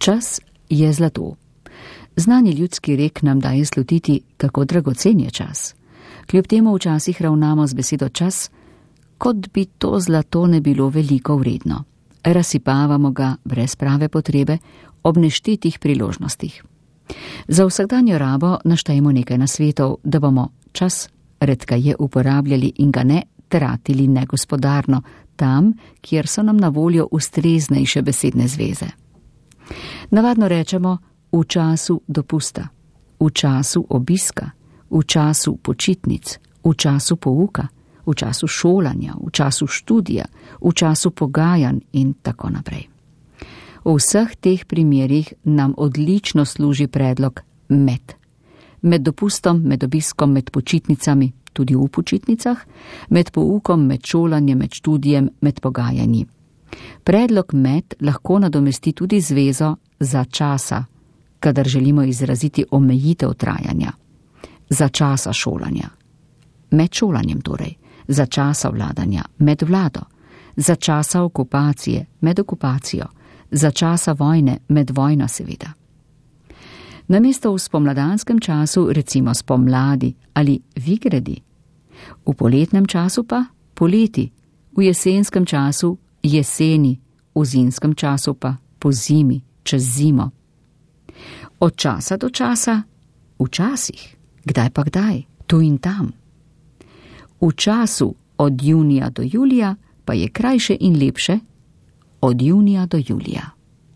Čas je zlato. Znani ljudski rek nam daje slutiti, kako dragocen je čas. Kljub temu včasih ravnamo z besedo čas, kot bi to zlato ne bilo veliko vredno. Razsipavamo ga brez prave potrebe ob neštetih priložnostih. Za vsakdanjo rabo naštejemo nekaj nasvetov, da bomo čas redkeje uporabljali in ga ne tratili negospodarno tam, kjer so nam na voljo ustreznejše besedne zveze. Navadno rečemo v času dopusta, v času obiska, v času počitnic, v času pouka, v času šolanja, v času študija, v času pogajanj in tako naprej. V vseh teh primerih nam odlično služi predlog med. Med dopustom, med obiskom, med počitnicami, tudi v počitnicah, med poukom, med šolanjem, med študijem, med pogajanji. Predlog med lahko nadomesti tudi zvezo za časa, kadar želimo izraziti omejitev trajanja. Za časa šolanja. Med šolanjem torej. Za časa vladanja. Med vlado. Za časa okupacije. Med okupacijo. Za časa vojne. Med vojno seveda. Namesto v spomladanskem času recimo spomladi ali vigredi. V poletnem času pa poleti. V jesenskem času jeseni. V zimskem času pa po zimi, čez zimo. Od časa do časa, včasih, kdaj pa kdaj, tu in tam. V času od junija do julija pa je krajše in lepše od junija do julija.